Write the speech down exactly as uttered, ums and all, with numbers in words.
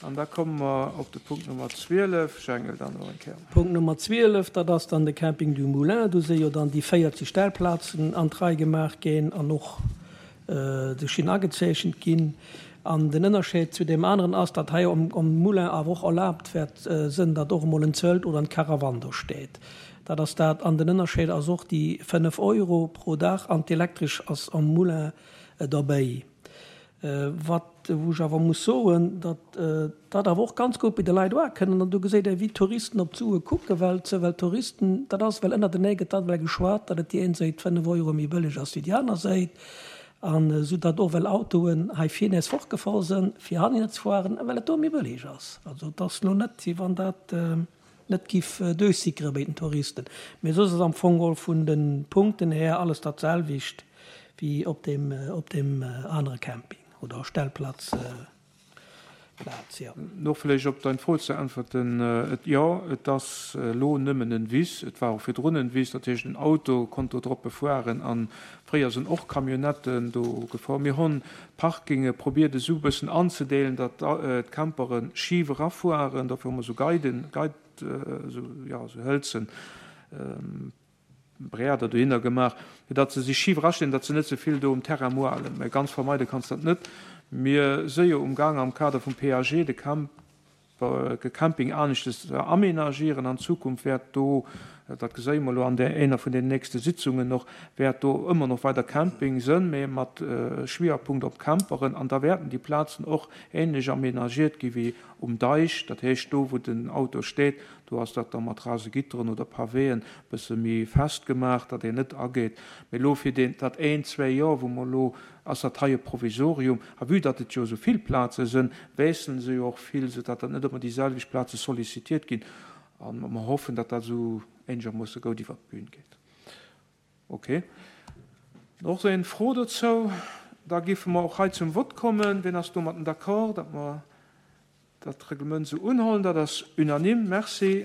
An da komme mer op de Punkt Nummer zwielef. Jengel, dann nach eng Kéier. Punkt Nummer zwielef, dat ass dann de Camping du Moulin. Do si jo dann déi véierzeg Stellplazen an d'Rei gemaach ginn an och de Schinn agezeechent ginn. An den Ënnerscheed zu deem aneren ass, datt hei um um Moulin awer och erlaabt wäert sënn, datt och emol en Zelt oder en Caravan do steet. Dat ass dat. An den Ënnerscheed ass och déi fënnef Euro pro Dag an d'Elektresch ass am Moulin derbäi. Wat, wou ech awer muss soen, datt dat awer och ganz gutt bei de Leit uakënnt. An do geséit ee wéi d'Touristen op d'Sue kucken, well ze well Touristen, dat ass well ënnertenee gëtt dat well geschwat, datt et déi een Säit fënnef Euro méi bëlleg ass wéi déi aner Säit. An esou datt och well Autoen hei vir nees fortgefor sinn, fir hanner ze fueren, well et do méi bëlleg ass. Also et ass lo net, wéi wann dat net giff duerchsickere bei den Touristen. Mee soss ass am Fong geholl vun de Punkten här alles dat selwecht wéi op deem op deem anere Camping oder Stellplatz Plaz, jo. Noch vläicht op dein Fro ze äntwerten, et, jo, et ass elo nëmmen en Wiss, et war och virdrun en Wiss, dat heescht en Auto konnt do drop befueren an fréier sinn och Camionnetten do gefuer. Mir hunn d'Parkinge probiert esou e bëssen anzedeelen, datt d'Campere schif erafueren, dofir hu mer esou Guiden, Guide, esou, jo, esou hëlzen Breader dohinner gemaach, fir datt se sech schif erastinn, datt se net ze vill do um Terrain moalen. Mä ganz vermeide kanns dat net. Mir si jo umgaang am Kader vum P A G de Camp, de Camping aneschtes ze aménagieren. An Zukunft wäert do, dat geséie mer elo an där einer vun den nächste Sitzungen och, wäert do ëmmer noch weider Camping sënn, mä mat Schwierpunkt op Camperen. An da wäerten déi Plazen och ähnlech aménagiert gi wéi um Deich. Dat heescht, do wou den Auto steet, do ass dat da mat Rasegitteren oder Pavéen bësse méi fest gemaach, datt een net ageet. Mee elo fir deen, dat een, zwee Joer, wou mer elo, ass dat hei e Provisorium. A vue datt et jo esou vill Plaze sënn, wiessele se jo och vill, soudatt dat net ëmmer déi selwecht Plaze sollicitiert ginn. A mer hoffen, datt dat esou eenegermoosse goud iwwert d'Bün geet. Okay. Och eng Fro dozou? Da géife mer och hei zum Vott kommen. Wien ass domatten d'accord, datt mer dat Reglement esou unhuelen? Dat ass unanime. Merci.